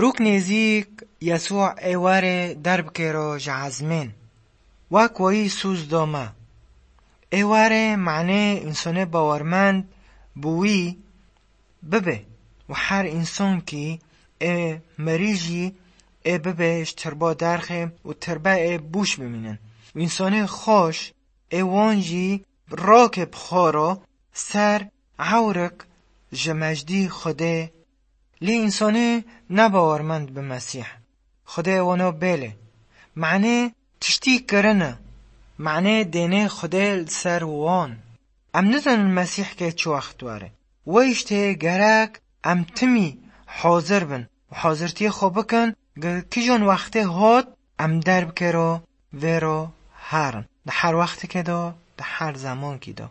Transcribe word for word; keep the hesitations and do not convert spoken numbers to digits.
Rûk nêzîk Yesû ê warê derbikêro ji ezmên. Wek wayî sûz dome. Ê warê manê însonê bawermend bi wî bibe û her însonkî ê merî jî ê bibe ji tirba derxê û tirbe ê bûş bimînin. Û însonê xweş ê wan jî rokê bi xwe re ser ewrik ji mejdî Xwedê. Lê însonê nebawermend bi Mesîh, Xwedê wano bêle. Manê tiştî kirine, manê dênê Xwedê li ser wan. Em nizanin Mesîh kê çi wext were. Wê îştê gerek em timî hazir bin û hazirtiyê xwe bikin, gi kijan wextê hot em derbikero vêro herin. Di her wextikê de, di her zemankî de.